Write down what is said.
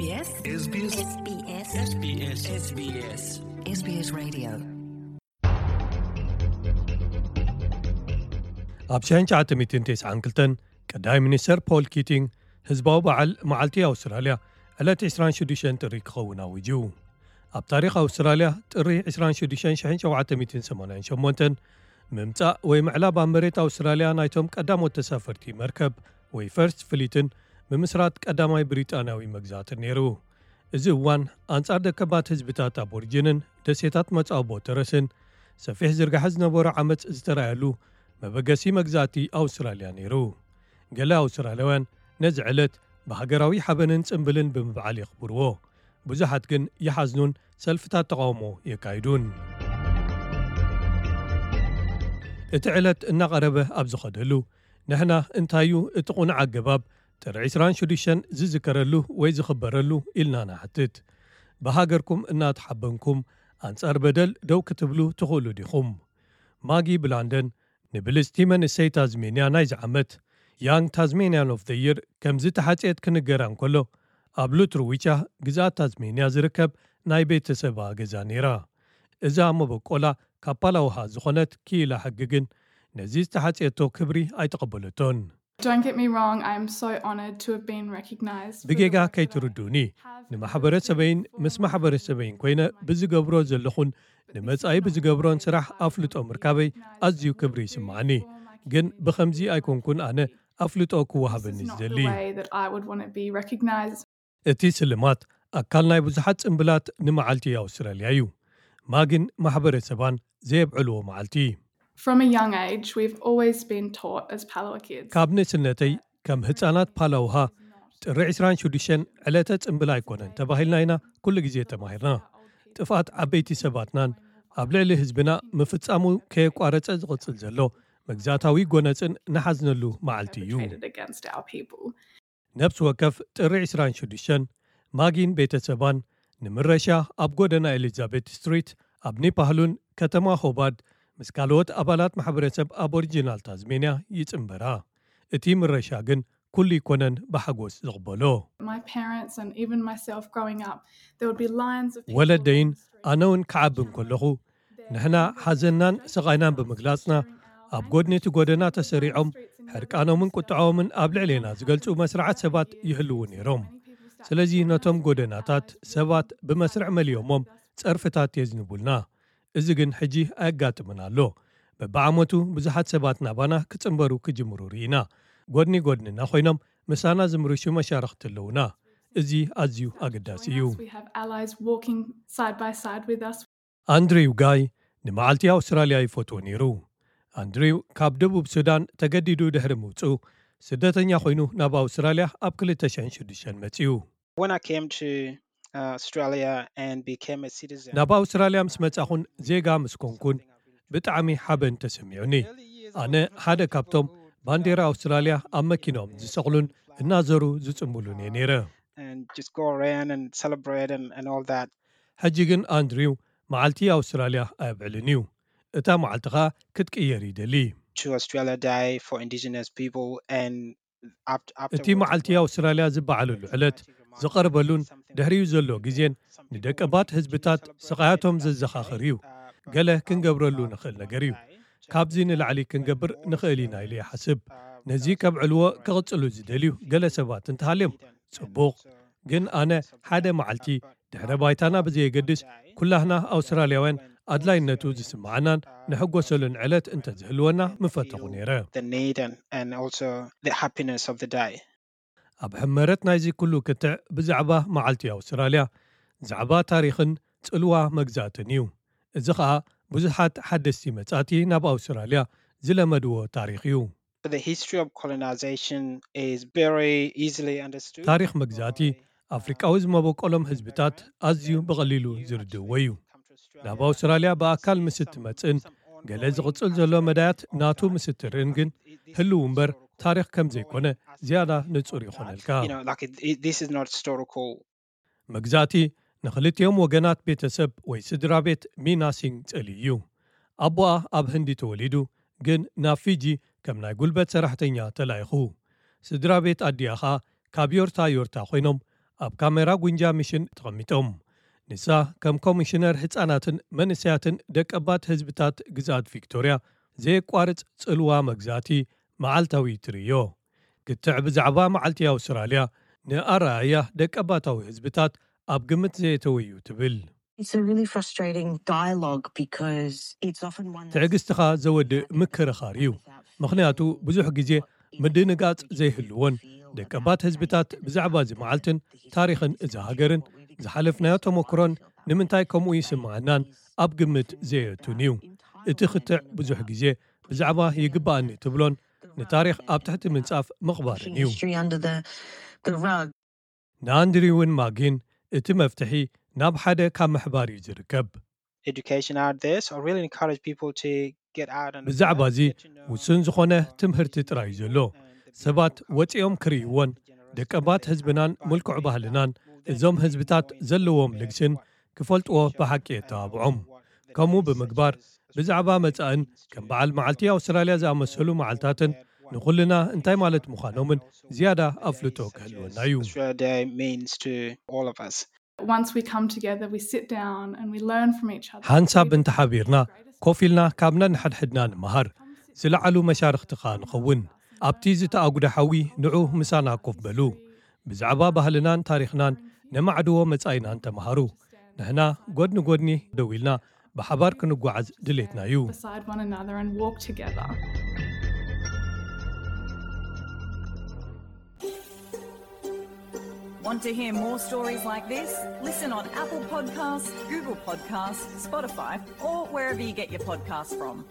SBS SBS SBS SBS SBS Radio. ኣብ ሽሕን ትሽዓተ ሚእትን ተስዓን ክልተን ቀዳማይ ሚኒስተር ፖል ኪቲንግ ህዝባዊ በዓል መዓልቲ ኣውስትራልያ ዕለት ዕስራን ሽዱሽተን ጥሪ ክኸውን ኣዊጁ። ኣብ ታሪኽ ኣውስትራልያ ጥሪ ዕስራን ሽዱሽተን ሽሕን ሸውዓተ ሚእትን ሰማንያን ሸሞንተን ምምጻእ ወይ ምዕላብ ኣብ መሬት ኣውስትራልያ ናይቶም ቀዳሞት ተሳፈርቲ መርከብ ወይ ፈርስት ፍሊትን ምምስራት ቀዳማይ ብሪጣንያዊ መግዛእትን ነይሩ። እዚ እዋን ኣንጻር ደቀባት ህዝብታት ኣቦሪጅንን ደሴታት መጻወቦ ተረስን ሰፊሕ ዝርጋሐ ዝነበሮ ዓመጽ ዝተራእየሉ መበገሲ መግዛእቲ ኣውስትራልያ ነይሩ። ገለ ኣውስትራልያውያን ነዚ ዕለት ብሃገራዊ ሓበንን ጽምብልን ብምብዓል የኽብርዎ። ብዙሓት ግን ይሓዝኑን ሰልፍታት ተቓውሞ የካይዱን። እቲ ዕለት እናቐረበ ኣብ ዝኸደሉ፣ ንሕና እንታይ እዩ እቲ ቁኑዕ ኣገባብ ጥሪ ዕስራን ሽዱሽተን ዝዝከረሉ ወይ ዝኽበረሉ ኢልና ንሓትት። ብሃገርኩም እናተሓበንኩም ኣንጻር በደል ደው ክትብሉ ትኽእሉ ዲኹም? ማጊ ብላንደን ንብልጽቲ መንእሰይ ታዝሜንያ ናይዚ ዓመት Young Tasmanian of the Year ከም ዝተሓጽየት ክንገራ እንከሎ፣ ኣብ ሉትርዊቻ ግዝኣት ታዝሜንያ ዝርከብ ናይ ቤተሰባ ገዛ ነይራ። እዛ መበቆላ ካብ ፓላውሃ ዝኾነት ክኢላ ሕጊ ግን ነዚ ዝተሓጽየቶ ክብሪ ኣይተቐበለቶን። Don't get me wrong, I'm so honoured to have been recognised. ብጌጋ ከይትርድኡኒ፣ ንማሕበረሰበይን ምስ ማሕበረሰበይን ኮይነ ብዝገብሮ ዘለኹን ንመጻኢ ብዝገብሮን ስራሕ ኣፍልጦ ምርካበይ ኣዝዩ ክብሪ ይስምዓኒ። ግን ብኸምዚ ኣይኮንኩን ኣነ ኣፍልጦ ክወሃበኒ ዝደሊ። እቲ ስልማት ኣካል ናይ ብዙሓት ጽምብላት ንመዓልቲ ኣውስትራልያ እዩ። ማጊን ማሕበረሰባን ዘየብዕልዎ መዓልቲ። From a young age, we've always been taught as Palawa kids. ካብ ንእስነተይ ከም ህጻናት ፓላውሃ ጥሪ ዕስራን ሽዱሽተን ዕለተ ጽምብል ኣይኮነን ተባሂልና ኢና ኩሉ ግዜ ተማሂርና። ጥፍኣት ዓበይቲ ሰባትናን ኣብ ልዕሊ ህዝብና ምፍጻሙ ከየቋረጸ ዝቕጽል ዘሎ መግዛእታዊ ጎነጽን ንሓዝነሉ መዓልቲ እዩ። Perpetrated against our people. ነብሲ ወከፍ ጥሪ ዕስራን ሽዱሽተን ማጊን ቤተሰባን ንምረሻ ኣብ ጎደና ኤሊዛቤት ስትሪት ኣብ ኒፓህሉን ከተማ ሆባርድ ምስ ካልኦት ኣባላት ማሕበረሰብ ኣቦሪጂናል ታዝሜንያ ይጽንበራ። እቲ ምረሻ ግን ኩሉ ይኮነን ብሓጎስ ዝቕበሎ። My parents and even myself growing up, there would be lines of people ወለደይን on the street. ኣነ እውን ክዓቢ እንከለኹ ንሕና ሓዘንናን ስቓይናን ብምግላጽና ኣብ ጎድኒ እቲ ጎደና ተሰሪዖም ሕርቃኖምን ቁጥዖምን ኣብ ልዕሌና ዝገልጹ መስርዓት ሰባት ይህልዉ ነይሮም። ስለዚ ነቶም ጎደናታት ሰባት ብመስርዕ መሊኦሞም ጸርፍታት የዝንቡልና። እዚ ግን ሕጂ ኣየጋጥምን ኣሎ። በብዓመቱ ብዙሓት ሰባት ናባና ክጽንበሩ ክጅምሩ ርኢና። ጎድኒ ጎድንና ኮይኖም ምሳና ዝምርሹ መሻርኽቲ ኣለዉና። እዚ ኣዝዩ ኣገዳሲ እዩ። We have allies walking side by side with us. ኣንድሪው ጋይ ንመዓልቲ ኣውስትራልያ ይፈትዎ ነይሩ። ኣንድሪው ካብ ደቡብ ሱዳን ተገዲዱ ድሕሪ ምውጽኡ ስደተኛ ኮይኑ ናብ ኣውስትራልያ ኣብ ክልተ ሽሕን ሽዱሽተን መጺኡ። When I came to uh, Australia and became a citizen, ናብ ኣውስትራልያ ምስ መጻኹን ዜጋ ምስ ኮንኩን ብጣዕሚ ሓበን ተሰሚዑኒ። ኣነ ሓደ ካብቶም ባንዴራ ኣውስትራልያ ኣብ መኪኖም ዝሰቕሉን እናዘሩ ዝጽምቡሉን እየ ነይረ። and just go around and celebrate and, and all that. ሕጂ ግን ኣንድሪው መዓልቲ ኣውስትራልያ ኣየብዕልን እዩ። እታ መዓልቲ ኸኣ ክትቅየር ይደሊ። To Australia Day for Indigenous people and after, እቲ መዓልቲ ኣውስትራልያ ዝበዓለሉ ዕለት ዝቐርበሉን ድሕሪኡ ዘሎ ግዜን ንደቀባት ህዝብታት ስቓያቶም ዘዘኻኽር እዩ። ገለ ክንገብረሉ ንኽእል ነገር እዩ። ካብዚ ንላዕሊ ክንገብር ንኽእል ኢና ኢለ ይሓስብ። ነዚ ከብዕልዎ ክቕጽሉ ዝደልዩ ገለ ሰባት እንተሃልዮም ጽቡቕ። ግን ኣነ ሓደ መዓልቲ ድሕረ ባይታና ብዘየገድስ ኩላህና ኣውስትራልያውያን ኣድላይነቱ ዝስምዓናን ንሕጎሰሉን ዕለት እንተዝህልወና ምፈተኹ ነይረ። the need and, and also the happiness of the day. ኣብ ሕመረት ናይዚ ኩሉ ክትዕ ብዛዕባ መዓልቲ ኣውስትራልያ ዛዕባ ታሪኽን ጽልዋ መግዛእትን እዩ። እዚ ኸኣ ብዙሓት ሓደስቲ መጻእቲ ናብ ኣውስትራልያ ዝለመድዎ ታሪኽ እዩ። The history of colonization is very easily understood. ታሪኽ መግዛእቲ ኣፍሪቃዊ ዝመበቆሎም ህዝብታት ኣዝዩ ብቐሊሉ ዝርድእዎ እዩ። ናብ ኣውስትራልያ ብኣካል ምስ እትመጽእን ገለ ዝቕጽል ዘሎ መዳያት ናቱ ምስ እትርእን ግን ህልው እምበር ታሪኽ ከም ዘይኮነ ዝያዳ ንጹር ይኾነልካ። You know, like it, it, this is not historical. መግዛእቲ ንኽልቲኦም ወገናት ቤተሰብ ወይ ስድራ ቤት ሚናሲንግ ጸልዩ እዩ። ኣቦኣ ኣብ ህንዲ ተወሊዱ፣ ግን ናብ ፊጂ ከም ናይ ጉልበት ሰራሕተኛ ተላኢኹ። ስድራ ቤት ኣዲኣ ኸኣ ካብ ዮርታ ዮርታ ኮይኖም ኣብ ካሜራ ጉንጃ ሚሽን ተቐሚጦም። ንሳ ከም ኮሚሽነር ህጻናትን መንእሰያትን ደቀባት ህዝብታት ግዝኣት ቪክቶርያ ዘየቋርጽ ጽልዋ መግዛእቲ መዓልታዊ ትርእዮ። ክትዕ ብዛዕባ መዓልቲ ኣውስትራልያ ንኣረኣእያ ደቀባታዊ ህዝብታት ኣብ ግምት ዘየተወዩ ትብል። It's a really frustrating dialogue because it's often one that's ትዕግስትኻ ዘወድእ ምክርኻር እዩ። ምኽንያቱ ብዙሕ ግዜ ምድንጋጽ ዘይህልዎን ደቀባት ህዝብታት ብዛዕባ እዚ መዓልትን ታሪኽን እዛ ሃገርን ዝሓለፍናዮ ተመክሮን ንምንታይ ከምኡ ይስምዓናን ኣብ ግምት ዘየእቱን እዩ። እቲ ክትዕ ብዙሕ ግዜ ብዛዕባ ይግባኣኒ ትብሎን ንታሪኽ ኣብ ትሕቲ ምንጻፍ ምቕባርን እዩ። History under the, the rug. ንኣንድሪውን ማጊን እቲ መፍትሒ ናብ ሓደ ካብ ምሕባር እዩ ዝርከብ። Education out there, so I really encourage people to get out and ብዛዕባ እዚ ውሱን ዝኾነ ትምህርቲ ጥራይ እዩ ዘሎ። ሰባት ወፂኦም ክርእይዎን ደቀባት ህዝብናን ምልኩዕ ባህልናን እዞም ህዝብታት ዘለዎም ልግስን ክፈልጥዎ ብሓቂ የተባብዖም። ከምኡ ብምግባር ብዛዕባ መጻእን ከም በዓል መዓልቲ ኣውስትራልያ ዝኣመሰሉ መዓልታትን ንኹልና እንታይ ማለት ምዃኖምን ዝያዳ ኣፍልጦ ክህልወና እዩ። Australia Day means to all of us. Once we come together, we sit down and we learn from each other. ሓንሳብ እንተሓቢርና ኮፍ ኢልና ካብ ነንሓድሕድና ንምሃር ዝለዓሉ መሻርኽትኻ ንኸውን። ኣብቲ ዝተኣጉደ ሓዊ ንዑ ምሳና ኮፍ በሉ። ብዛዕባ ባህልናን ታሪኽናን ነማዕድዎ መጻኢናን ተምሃሩ። ንሕና ጎድኒ ጎድኒ ደው ኢልና ብሓባር ክንጓዓዝ ድሌትና እዩ። Beside one another and walk together. Want to hear more stories like this? Listen on Apple Podcasts, Google Podcasts, Spotify, or wherever you get your podcasts from.